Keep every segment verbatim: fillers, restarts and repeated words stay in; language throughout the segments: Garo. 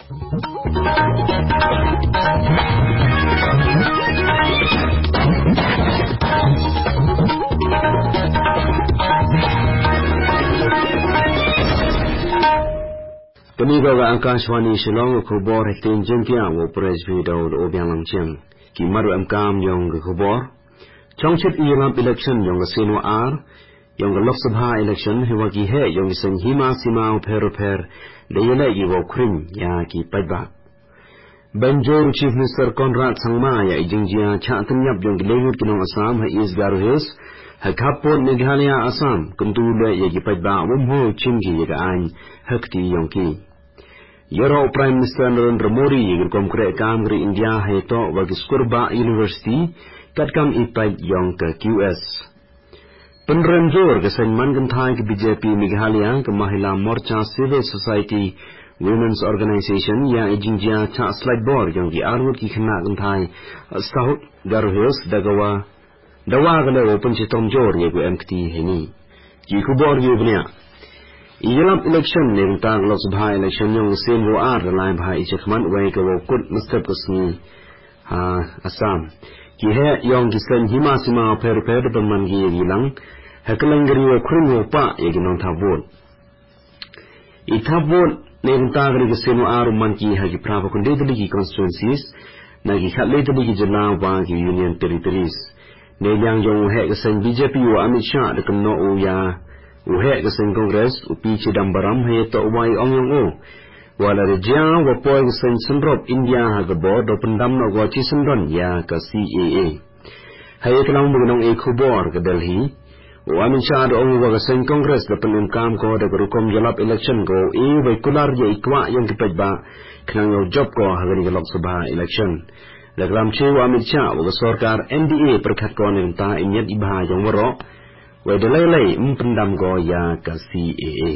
Panigo ga Akashvani Shillong, khobor hektin jengkia wo press video do obiang langchiang. Ki maru em kam yong ga khobor. Chongchit i lap election yong ga seno ar, yong ga Lok Sabha election hewa ki he yong ga seng hima sima pher pher de yele ki wo kring ya ki paiba. Banjor Chief Minister Conrad Sangma ya i jingjia cha tanyap yong ga lengut ki nong Assam ha East Garo Hills, ha khapon Meghalaya Assam, kuntu le ya ki paiba wom ho chim ki ya ga ain hakti yong ki. Yoro Prime Minister Narendra Modi ya ki kom kre kam gri India ha to wa ki skurba university kat kam i pai yong ka Q S. Penrenjor ke seng man genthai ke B J P Meghalaya ke Mahila Morcha Civil Society Women's Organization ya i jingjia cha slide bor yong ki arngut ki khna genthai South Garo Hills dagawa dawa gale wo penchitom jor ye gu M K T heni. Ki khobor ye bnia. I yelap election ne ta Lok Sabha election yong sen wo ar lai bha i chakman wai ke wo kut mestep ke sngi ha Assam. Ki he yong ki sen hima sima pher pher de man ki ye lang. Heklang gari wo kring wo pa ye ki nong ta vote. I ta vote ne ta gari ki sen wo ar man ki ha ki prava kunde de ki constituencies. Na ki khat le de ki jila wa ki union territories. Ne yang yong he ki sen B J P wo Amit Shah de kno u ya. U he ki sen Congress, u P Chidambaram he to wai ong yong u. Wala de jia wa poi ki sen senrop India ha ke bor do pendam no go chi sendon ya ka C A A. Hai e kelang mugenong e khubor ke Delhi. Wa min cha do ong wa ka sen Congress da penem kam ko da rukom yalap election ko e wa kular ya ikwa yang ki pajba. Kenang yo job ko ha gani ka Lok Sabha election. Da kelam che wa min cha wa ka sorkar N D A perkhat ko ne ta inyat iba yang waro. Wa da lai lai em pendam ko ya ka C A A.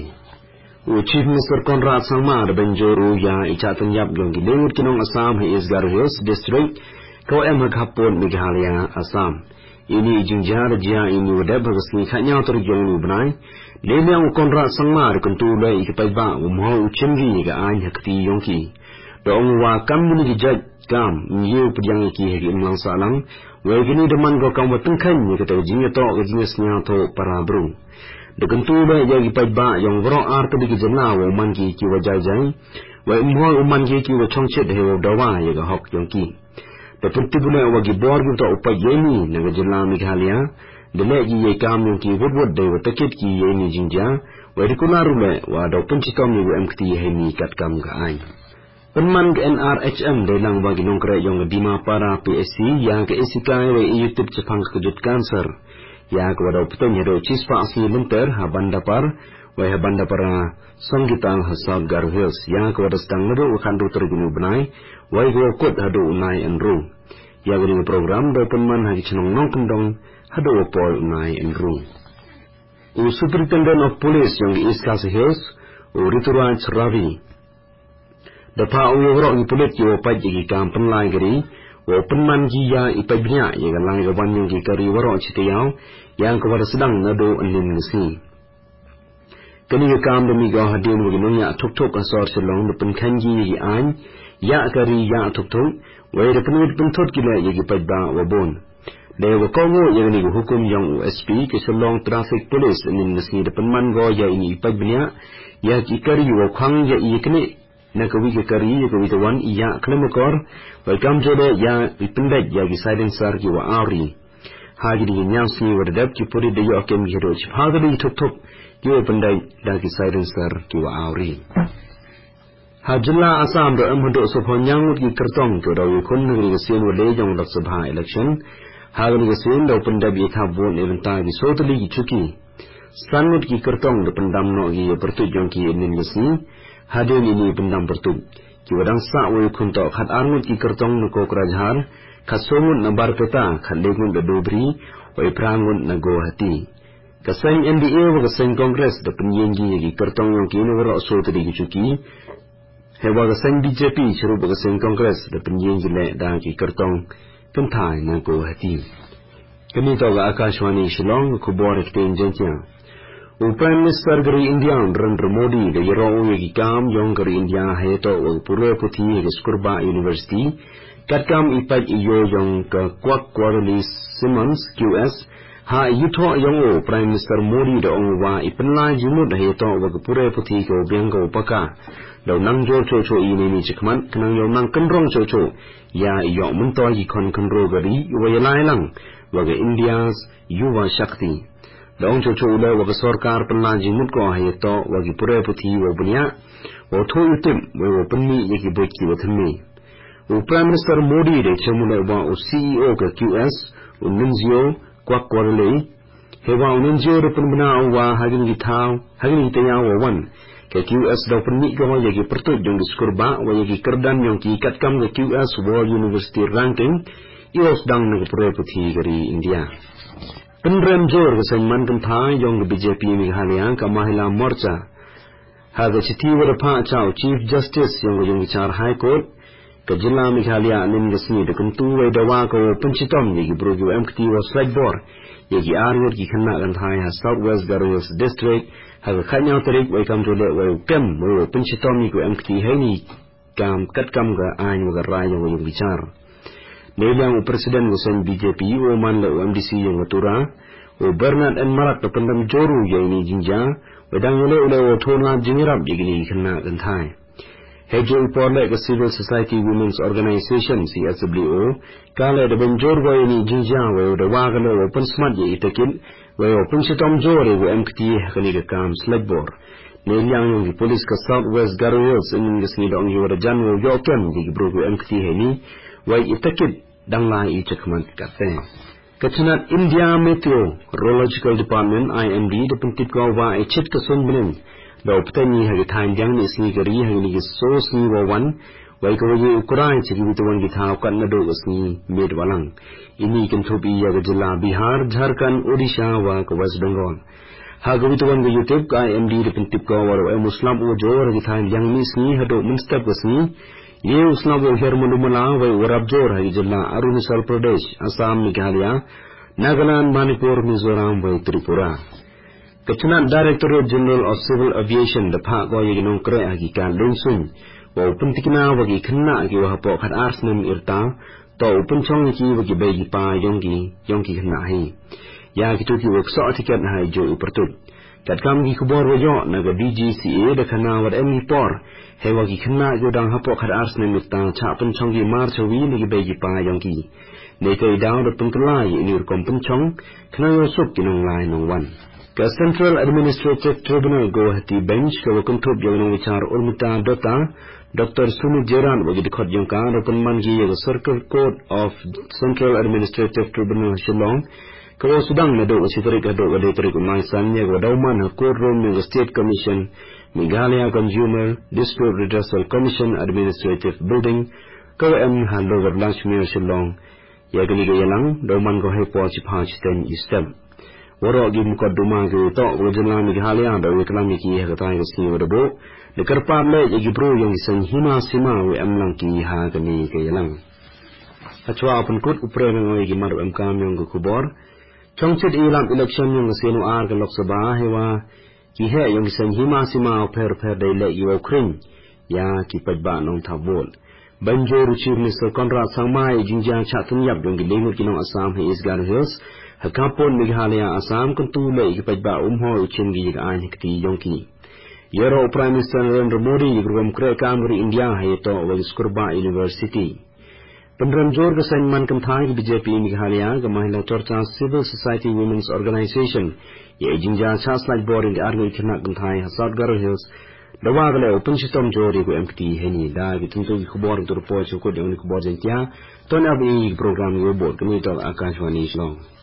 U Chief Minister Conrad Sangma da banjor u ya i cha tanyap yong ki lengut ki nong Assam ha East Garo Hills District, ko em ha khapon Meghalaya Assam. Ini i jingja da jia ini wa dep ha ka sngi khat nyaw tarik yong lu bnai. Lele u Conrad Sangma da kuntu le i ka pajba u mo u chim gi ka ain ha kti yong ki. Da ong wa kam ni ki jaj kam, ngiu pdiang ki ha ki imlang salang, wa gini da man ko kam wa tengkhan ni ka ta jing to ka jing snya to para bru. Da kuntu ba ya ki pajba yong waro ar ta di ki jana wa man ki ki wa jai jai, wa imhoi u man ki ki wa chongchet he wa dawa ya ka hok yong ki. Da kuntu bu le wa ki bor ki ta upa ye ni na ka jana Meghalaya, da le ki ye kam yong ki wut wut da wa takit ki ye ni jingja, wa di kuna ru le wa da pun chitom ni wa M K T he ni kat kam ka ain. Penman ke N R H M da lang wa ki nongkre yong ke Dimapara P S C ya ke isikai wa i yutip chepang ke kejut kanser. Ya ke wa dau peteng ya dau chispa si lenter ha Bandapar, wa ha Bandapara Songgital ha South Garo Hills. Ya ke wa da sedang nadu wa khandu tergunu benai, wa i ke wa kut hadu unai enru. Ya ke ding program dau penman ha ki chenong nong kendong hadu wa poi unai enru. U Superintendent of Police yong ke East Khasi Hills, u Rituraj Ravi. Da pha u ya waro i pulit ki wa paj ki kam penlai gari, wa penman ki ya i paj bnya ya ka lai ka wan yong ki kari waro chitiau, yang ka wara sedang nadu anin ngasi. Kani ka kam da mi ga hadin wa ki nong ya thuk thuk asor chelong da penkhan ki ya ki ain, ya kari ya thuk thuk, wa da penwit penthut ki la ya ki paj ba wa bon. Da wa kongo ya ni hukum yong u S P ki chelong traffic police anin ngasi da penman go ya ini i paj bnya, ya ki kari wa khang ya i kene na ka wi ka kari, ya ka wi ka wan, ya klemokor, wa kam jode, ya wi pendek, ya ki silencer ki wa auri. Ha ki di nyang si wa dep ki puri de yo kem ki do chi pha ki di thuk thuk, ki wa pendek, da ki silencer ki wa auri. Ha jilla Assam do em hudu so pho nyangut ki kertong ki do wi kun negeri ki sien wa le jong Lok Sabha election. Ha ki di ki sien do pendek bi tha vote ni benta ki so tali ki chuki. Sanut ki kertong da pendam no ki pertut yong ki inin ngasi. Hadin ini pendam pertut. Ki wadang sa wa i khun to khat arngut ki kertong na Kokrajhar, khat songut na Barpeta, khat lengut na Dubri, wa i prangut na Guwahati. Ka seng N D A wa ka seng Congress da penyeng ki ya ki kertong yong ki na waro so tadi ki chuki. Hewa ka seng B J P chirup ka seng Congress da penyeng ki le da ki kertong kentai na Guwahati. Kami to ka Akashvani Shillong, khubor ki ten jentiang. U Prime Minister gari India Narendra Modi da yero u yagi kam yong gari India hayato u pure puthi yagi skurba university. Katkam ipat iyo yong ka Kwak Quarterly Simmons Q S ha yuto yong u Prime Minister Modi da ong wa ipenla jimut hayato u pure puthi ko biang ko paka. Dau nang jor cho cho ini ni chikmat kenang yong nang kenrong cho cho. Ya iyo mentoi ki kon kenro gari wa yalai lang wa ga India's Yuva Shakti. Dong cho cho ula wa ga sorkar penla jimut ko hayato wa ki pure puthi wa bunya. Wa tho yutim wa wa penmi ya ki boit ki wa themi. U Prime Minister Modi de chemule wa u C E O ka Q S u Nunzio Kwak Quarterly. Hewa u Nunzio de penbena wa hagin ki thao hagin ki tanya wa wan. Ka Q S dau penmi ko ya ki pertut jong di skurba wa ya ki kerdan yong ki katkam ka Q S World University Ranking. Iwa sedang na ka pure puthi gari India. Penrem jor ka saiman kentai yong ka B J P Meghalaya ka Mahila Morcha. Ha ka chiti wa da pha cha u Chief Justice yong ka yong bichar High Court. Ka jilla Meghalaya anin ka sni da kentu wa dawa ka wa penchitom ya ki bro ki wa M K T wa slagbor. Ya ki arngut ki kena kentai ha South West Garo Hills District. Ha ka kanyang tarik wa kam jole wa kem wa penchitom ya ki wa M K T hai ni. Kam katkam ga ain wa ga rai yong yong bichar. Neliang u President wa sen B J P u man la u M D C yong wa tura. U Bernard N Marak da pendam joru ya ini jinja. Wa dang yole ule wa thona jingrap ya gini kena kentai. Hejo u porle ka Civil Society Women's Organization C S W O. Kale da ben jor wa ini jinja wa da wa ga le wa pen smat ya itakin. Wai o penchitom jore wa M K T hakani ka kam slagbor. Neliang yong ki police ka South West Garo Hills ingin ka sni dong yo da jan wa yo kem di ki bro wa M K T hani. Wai itakit dang la i chakmat kate. Ka chinat India Meteorological Department I M D da pentip ko wa i chit ka son benen. Da uptani ha ki thain diang ni sni ka ri ha ki ni ki so sni wa wan. Wai ka wa ye u kurai chi ki bituan ki thao kat na do ka sni med walang. Ini kenthup iya ka jilla Bihar, Jharkhand, Odisha wa ka West Bengal. Ha ka wituan ka yutip ka I M D da pentip ka wa ro em u slap wa jor ha ki thain yang mi sni ha do menstep ka sni. Ye u slap wa her mandu mala wa u rap jor ha ki jilla Arunachal Pradesh, Assam, Meghalaya, Nagaland, Manipur, Mizoram wa Tripura. Ka chinat Directorate General of Civil Aviation da pha ko ya ki nong kre ha ki ka lungsung. Wa u pentikna wa ki kena ki wa hapo khat ars nem irta. To u penchong ki wa ki bai ki pa yong ki, yong ki kena hai. Ya ki tu ki wa kso tiket hai jo u pertut. Kat kam ki kubor wa yo na ka D G C A da kena wa em ki por. Hai wa ki kena ki dang hapo khat ars nem irta cha penchong ki mar chawi na ki bai ki pa yong ki. Nei ka i daw da pengkelai ini rukom penchong, kena yo suk ki nong lai nong wan. Ka Central Administrative Tribunal Guwahati Bench ka wa kenthup ya nong bichar Urmita Dutta, Doctor Sumit Jeran wa ki dikot yong ka da penman ki ya ka Circle Court of Central Administrative Tribunal Shillong, ka wa sudang na do ka sitarik ha do ka detarik umai san ya ka wa dauman ha courtroom ya ka State Commission, Meghalaya Consumer Dispute Redressal Commission Administrative Building, ka wa em ha Lower Lachmere Shillong, Ya kani ka yalang, dauman ko hai po chi pha chi ten i step. Waro gi mukot duma ki to ko jela mi ki halia da wi klam ki ha ka tai ka si wa da bo. De kar pa le ya ki bro yong sen hima sima wi am lang ki ha kani ka yalang. Achwa apun kut upre nang oi ki mar em kam yong ka kubor. Chongchit i lam election yong ka senu ar ka Lok Sabha hewa. Ki he yong ki sen hima sima pher pher dai le i wa kring. Ya ki pajba nong tha bol. Banjo ru Chief Minister Conrad Sangma i jingjang cha tun yap yong ki lengut ki nong Assam he East Garo Hills. Ha kapon Meghalaya Assam kan tu le ki pajba um ho u chin ki ka ain ki ti yong ki. Yero Prime Minister Narendra Modi ki grum kre kam ri India ha to wa skurba University. Penrem jor ka sen man kam thai ki B J P Meghalaya ka Mahila Chorcha Civil Society Women's Organization. Ye jingjang cha slide board in the army kena kam thai ha South Garo Hills. Dawa gale open shitom jor ye ko M P T heni da ki tuntu ki khubor tur po chu ko jong ni khubor jen tia. Ton ab i program yo bot kami to Akashvani Shillong.